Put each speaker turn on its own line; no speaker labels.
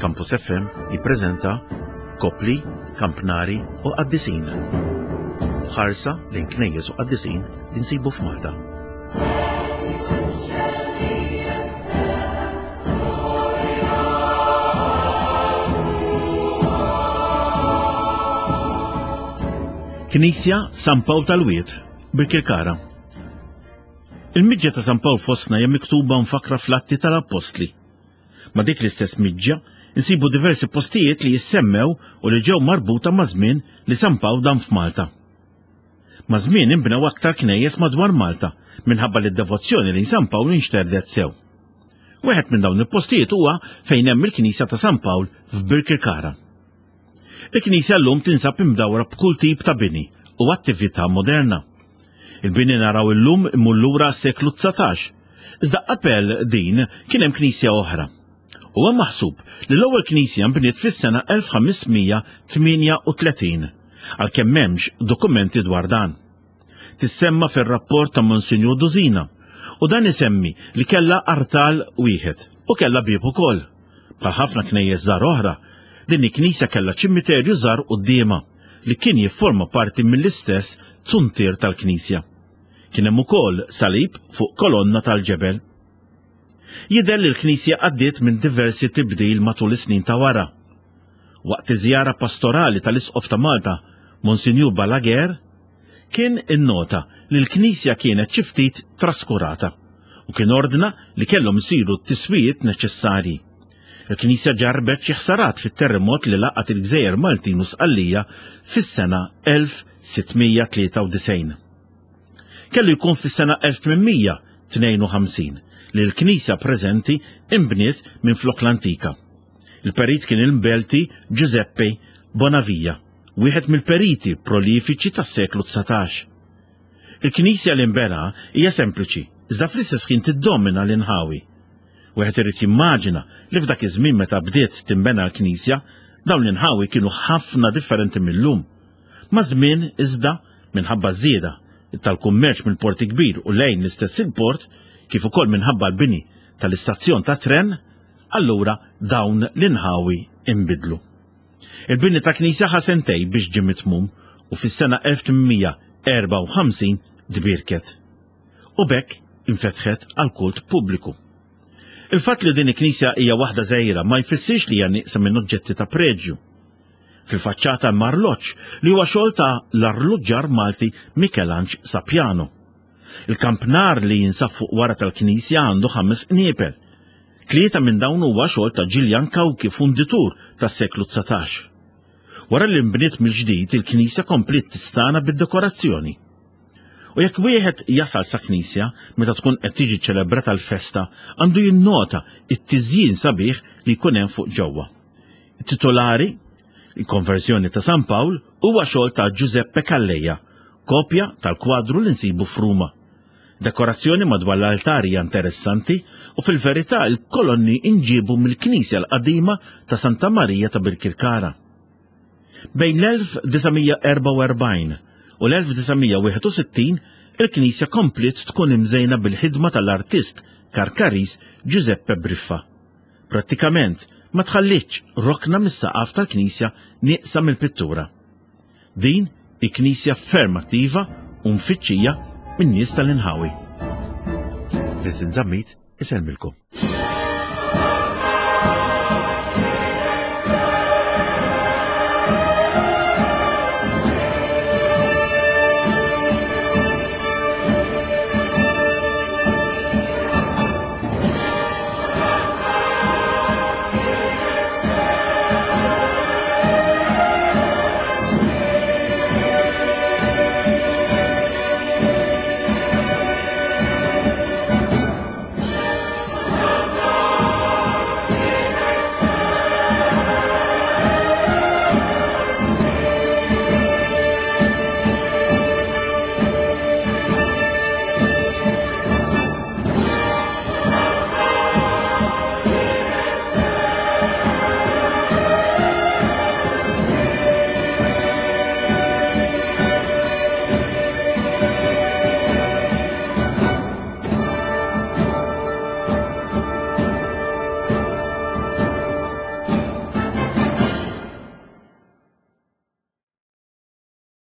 Campus FM jippreżenta Kopli, Kampnari u Qaddisin. Ħarsa lejn knejjes u qaddisin li nsibu f'Malta. Knisja San Pawl tal-Wied, Birkirkara. Il-miġja ta' San Pawl fostna hija miktuba mfakkra fl-Atti tal-Appostli. Ma' dik l-istess miġja insibu diversi postijiet li jissemmew u li ġew marbuta ma' żmien li San Pawl dam f'Malta. Ma' żmien inbnew aktar knejjes madwar Malta minħabba li d-devozzjoni lejn San Pawl inxterdet sew. Wieħed minn dawn il-postijiet huwa fejn hemm il-Knisja ta' San Pawl f'Birkirkara. Il-knisja llum tinsab imdawra b'kull tip ta' bini u attività moderna. Il-bini naraw illum imur lura għas-seklu 19, iżda qabel din kien hemm knisja oħra. Huwa maħsub li l-ewwel knisja nbniet fis-sena 1538, għalkemm m'hemmx dokumenti dwar dan. Tissemma fir-rapport ta' Monsinjur Duzina u dan isemmi li kellha artal wieħed u kellha bieb ukoll. Bħal ħafna knejjes żgħar oħra, din il-knisja kellha ċimiterju żgħar quddiemha li kien jifforma parti mill-istess zuntier tal-knisja. Kien hemm ukoll salib fuq kolonna tal-ġebel. Jidher li l-knisja għaddiet minn diversi tibdil matul is-snin ta' wara. Waqt iż-żjara pastorali tal-Isqof ta' Malta, Monsinjur Balaguer, kien innota li l-knisja kienet xi ftit traskurata u kien ordna li kellhom isiru t-tiswijiet neċessarji. Il-knisja ġarrbet xi ħsarat fit-terremot li laqat il-gżejjer Maltin u Sqallija fis-sena 1693. Kellu jkun fis-sena 1852 li l-knisja preżenti inbniet minflok l-antika. Il-perit kien il-Belti Giuseppe Bonavia, wieħed mill-periti prolifiċi tas-seklu 19. Il-knisja li nbena hija sempliċi, iżda fl-istess ħin tiddomina l-inħawi. Wieħed irid jimmaġina li f'dak iż-żmien meta bdiet tinbena l-knisja, dawn l-inħawi kienu ħafna differenti mil-lum. Maż-żmien, iżda, minħabba ż-żieda tal-kummerċ mill-Port il-Kbir u lejn l-istess il-port, kif ukoll minħabba l-bini tal-istazzjon tat-tren, allura dawn l-inħawi inbidlu. Il-bini ta' knisja ħa sentej biex ġie mitmum u fis-sena 1854 tbierket. U b'hekk infetħet għall-kult pubbliku. Il-fatt li din il-knisja hija waħda żgħira ma jfissirx li hija nieqsa minn oġġetti ta' preġju. Fil-faċċata hemm arloġġ li huwa xogħol ta' l-arluġġar Malti Mikelanġ Sapiano. Il-kampnar li jinsab fuq wara tal-knisja għandu ħames qniepel. Tlieta minn dawn huwa xogħol ta' Ġiljan Cauchi funditur tas-seklu 19. Wara li nbniet mill-ġdid il-knisja kompliet tistana bid-dekorazzjoni. U jekk wieħed jasal sa knisja meta tkun qed tiġi ċelebrata l-festa għandu jinnota it-tiżjin sabiħ li jkun hemm fuq ġewwa. Titolari, il-konverżjoni ta' San Pawl huwa xogħol ta' Giuseppe Calleja, kopja tal-kwadru li nsibu f'Ruma. Dekorazzjoni madwar l-altar hija interessanti u fil-verità l-kolonni inġiebu mill-knisja l-qadima ta' Santa Marija ta' Birkirkara. Bejn l-1944 u l-1961 il-knisja kompliet tkun imżejna bil-ħidma tal-artist Karkaris Giuseppe Briffa. Prattikament ma tħallietx rokna mis-saqaf tal-knisja nieqsa mill-pittura. Din hi knisja ferm attiva u mfittxija min-nies tal-inħawi. Vincent Zammit isellmilkom.